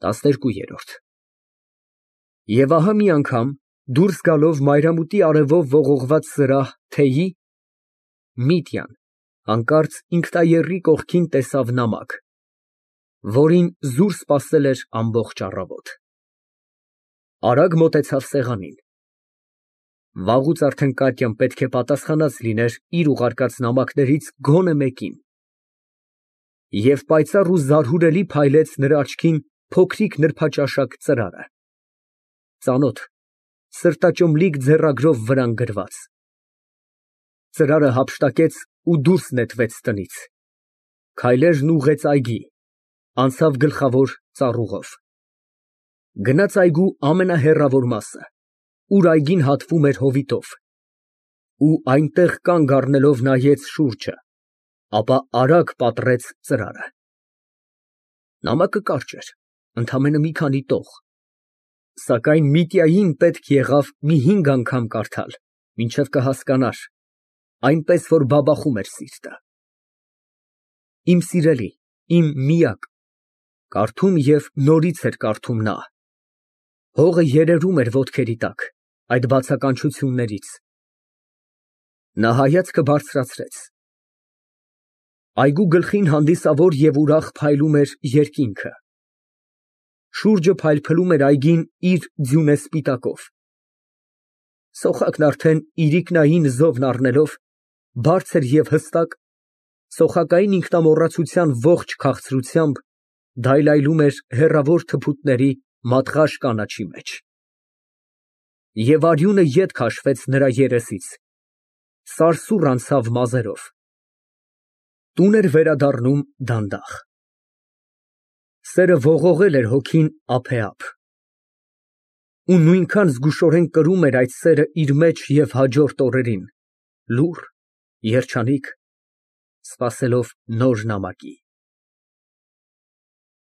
12։ Եվ ահա մի անգամ, դուրս գալով մայրամուտի արևով ողողված սրահ, թեյի, Միտյան հանկարծ ինքնաեռի կողքին տեսավ նամակ, որին զուր սպասել էր ամբողջ առավոտ։ Արագ մոտեցավ սեղանին։ Վաղուց արդեն Կատյան պետք է պատասխանած լիներ իր ուղարկած նամակներից գոնե մեկին, և պայծառ ու զարհուրելի փայլեց նրա աչքին փոքրիկ նրբաճաշակ ծրարը, ծանոթ, սրտաճմլիկ ձեռագրով վրան գրված։ Ծրարը հափշտակեց ու դուրս նետվեց տնից, քայլերն ուղղեց այգի, անցավ գլխավոր ծառուղով, գնաց այգու ամենահեռավոր մասը, ուր այգին հատվում էր հովիտով, ու այնտեղ կանգ առնելով նայեց շուրջը, ապա արագ պատռեց ծրարը։ Նամակը կարճ էր, ընդամենը մի քանի տող, սակայն Միտյային պետք եղավ մի 5 անգամ կարդալ, մինչև կհասկանար, այնպես որ բաբախում էր սիրտը։ Իմ սիրելի, իմ միակ, կարդում և նորից էր կարդում նա, հողը երերում էր ոտքերի տակ, այդ բացականչություններից։ Նա հայացքը բարձրացրեց։ Այգու գլխին հանդիսավոր և ուրախ փայլում էր երկինքը, շուրջը փայլփլում էր այգին իր ձյունեսպիտակով, սոխակն արդեն իրիկնային զովն առնելով, բարձր և հստակ, սոխակային ինքնամոռացության ողջ քաղցրությամբ դայլայլում էր հեռավոր թփուտների մատղաշ կանաչի մեջ։ Եվ արյունը ետ քաշվեց նրա երեսից, սարսուռ անցավ մազերով, տուն էր վերադառնում դանդաղ։ Սերը ողողել էր հոգին ափեափ, ու նույնքան զգուշորեն կրում էր այդ սերը իր մեջ և հաջորդ օրերին, լուռ, երջանիկ, սպասելով նոր նամակի։